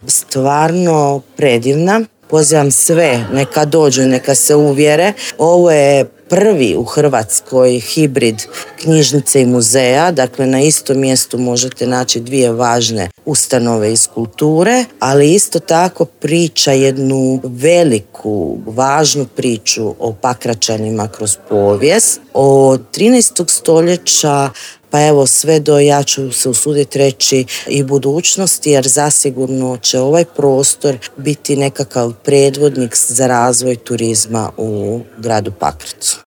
stvarno predivna. Pozivam sve, neka dođu, neka se uvjere. Ovo je prvi u Hrvatskoj hibrid knjižnice i muzeja, dakle na istom mjestu možete naći dvije važne ustanove iz kulture, ali isto tako priča jednu veliku, važnu priču o Pakračanima kroz povijest, od 13. stoljeća pa evo sve do, ja ću se usuditi reći, i budućnosti, jer zasigurno će ovaj prostor biti nekakav predvodnik za razvoj turizma u gradu Pakracu.